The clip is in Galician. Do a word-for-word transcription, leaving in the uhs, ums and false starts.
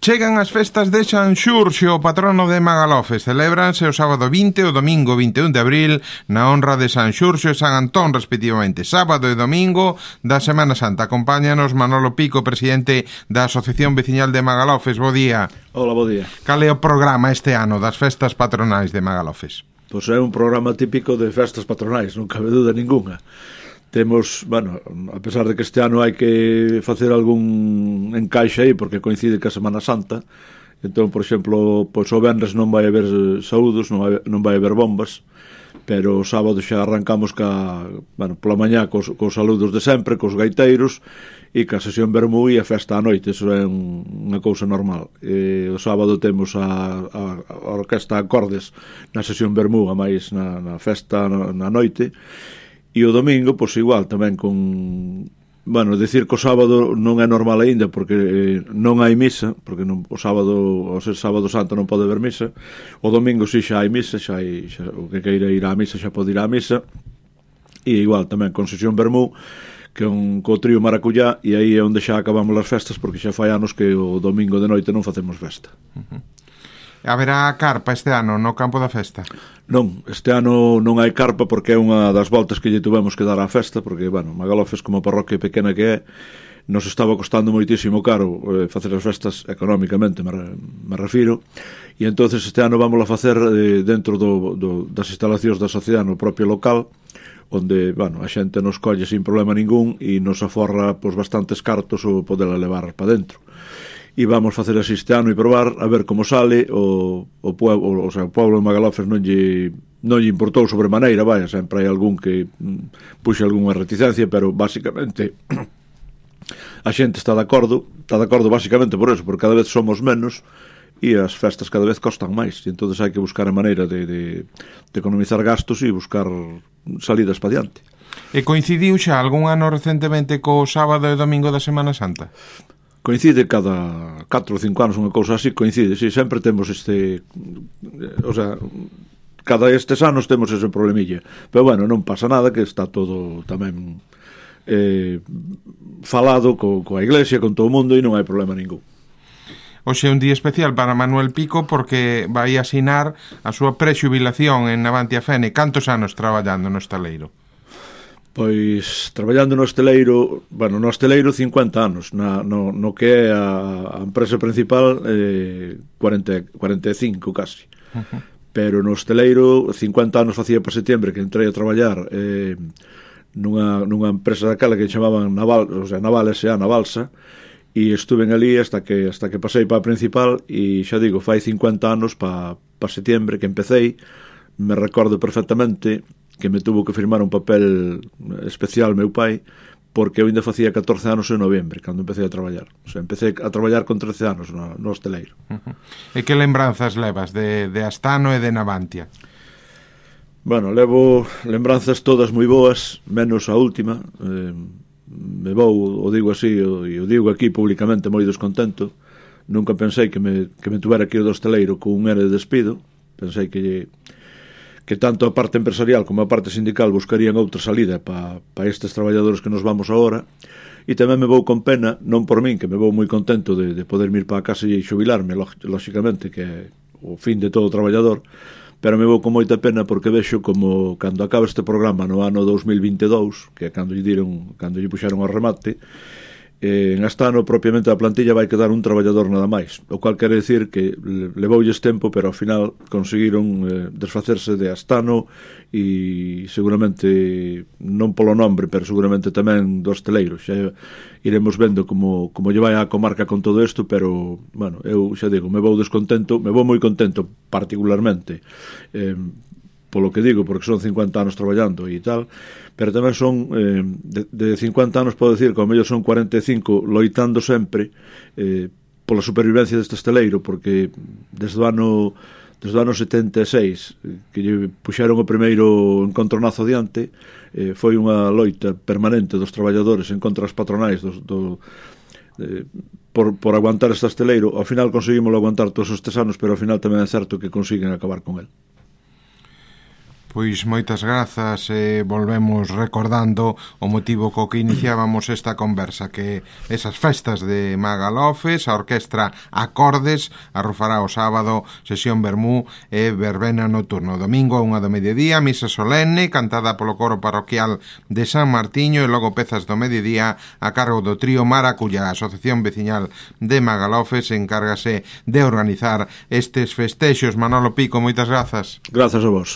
Chegan as festas de Sanxurxo, o patrono de Magalofes. Celébranse o sábado vinte e o domingo vinte e un de abril na honra de Sanxurxo e San Antón, respectivamente. Sábado e domingo da Semana Santa. Acompáñanos Manolo Pico, presidente da Asociación Veciñal de Magalofes. Bo día. Hola, bo día. Cal é o programa este ano das festas patronais de Magalofes? Pois é un programa típico de festas patronais, non cabe dúda ninguna. Temos, bueno, a pesar de que este ano hai que facer algún encaixe aí porque coincide que a Semana Santa, entón, por exemplo, pois o venres non vai haber saúdos, non vai, non vai haber bombas, pero o sábado xa arrancamos ca, bueno, pola mañá cos, cos saludos de sempre, cos gaiteiros e ca sesión vermú e a festa á noite. Eso é un, unha cousa normal. E o sábado temos a, a, a orquesta acordes na sesión vermú, a máis na, na festa na, na noite. E o domingo, pois igual, tamén con... Bueno, decir que o sábado non é normal aínda porque eh, non hai misa, porque non, o sábado, ao ser sábado santo non pode haber misa. O domingo si xa hai misa, xa hai, xa, o que queira ir á misa xa pode ir á misa. E igual tamén con sesión vermú, que é un co trío Maracuyá, e aí é onde xa acabamos as festas porque xa fai anos que o domingo de noite non facemos festa. Uh-huh. Haberá carpa este ano no campo da festa? Non, este ano non hai carpa porque é unha das voltas que lle tuvemos que dar á festa, porque, bueno, Magalofes como parroquia pequena que é, nos estaba costando moitísimo caro eh, facer as festas económicamente, me, me refiro, e entonces este ano vamos a facer eh, dentro do, do, das instalacións da sociedade no propio local, onde, bueno, a xente nos colle sin problema ningún e nos aforra pois, bastantes cartos o poderla levar para dentro. E vamos facer así este ano e probar a ver como sale o, o pueblo, o sea, o pueblo de Magalofes non lle, non lle importou sobremaneira, vaya, sempre hai algún que mm, puxe algunha reticencia, pero basicamente a xente está de acordo, está de acordo basicamente por eso, porque cada vez somos menos e as festas cada vez costan máis, e entonces hai que buscar a maneira de, de, de economizar gastos e buscar salidas para diante. E coincidiu xa algún ano recentemente co sábado e domingo da Semana Santa? Coincide cada catro ou cinco anos, unha cousa así, coincide, sí, sempre temos este, o sea, cada estes anos temos ese problemilla, pero bueno, non pasa nada, que está todo tamén eh, falado co, coa iglesia, con todo o mundo, e non hai problema ningún. Hoxe é un día especial para Manuel Pico porque vai asinar a súa prexubilación en Navantia Fene. Cantos anos traballando no estaleiro? Pois, traballando no esteleiro, bueno, no esteleiro cincuenta anos, na, no, no que é a, a empresa principal eh, cuarenta, cuarenta e cinco casi. Uh-huh. Pero no esteleiro cincuenta anos facía para setembro que entrei a traballar eh, nunha, nunha empresa daquela que chamaban Naval, o sea, Naval S A, Navalsa, e estuve ali hasta que hasta que pasei para a principal e xa digo, fai cincuenta anos para pa setembro que empecéi. Me recordo perfectamente que me tuvo que firmar un papel especial meu pai, porque eu ainda facía catorce anos en novembro, cando empecé a traballar. O sea, empecé a traballar con trece anos no, no hosteleiro. Uh-huh. E que lembranzas levas de, de Astano e de Navantia? Bueno, levo lembranzas todas moi boas, menos a última. Eh, me vou, o digo así, e o digo aquí públicamente moi descontento. Nunca pensei que me, que me tuvera aquí o do hosteleiro con un ere de despido. Pensei que lle que tanto a parte empresarial como a parte sindical buscarían outra salida para pa estes traballadores que nos vamos agora, e tamén me vou con pena, non por min, que me vou moi contento de, de poder ir para a casa e xubilarme, lógicamente, que é o fin de todo traballador, pero me vou con moita pena porque vexo como cando acaba este programa no ano dos mil vinte e dous, que é cando lle diron, cando lle puxeron ao remate, eh, en Astano propiamente a plantilla vai quedar un traballador nada máis, o cual quere decir que levoulles tempo, pero ao final conseguiron eh, desfacerse de Astano e seguramente non polo nombre, pero seguramente tamén do hosteleiro. Xa iremos vendo como, como lle vai a comarca con todo isto, pero bueno, eu xa digo, me vou descontento, me vou moi contento particularmente eh, polo que digo, porque son cincuenta anos traballando e tal, pero tamén son eh, de, de cincuenta anos, podo decir, como mellor son cuarenta e cinco loitando sempre eh, pola supervivencia deste esteleiro, porque desde o ano desde o ano setenta e seis que lle puxeron o primeiro encontronazo diante, eh, foi unha loita permanente dos traballadores en contra das patronais dos, do, eh, por, por aguantar este esteleiro. Ao final conseguimos aguantar todos estes anos, pero ao final tamén é certo que consiguen acabar con el. Pois moitas grazas e volvemos recordando o motivo co que iniciábamos esta conversa, que esas festas de Magalofes, a orquestra Acordes arrufará o sábado sesión vermú e verbena nocturno. Domingo a unha do mediodía, misa solenne cantada polo coro parroquial de San Martiño e logo pezas do mediodía a cargo do trío Maracuya. A Asociación Veciñal de Magalofes encárgase de organizar estes festexos. Manolo Pico, moitas grazas. Grazas a vos.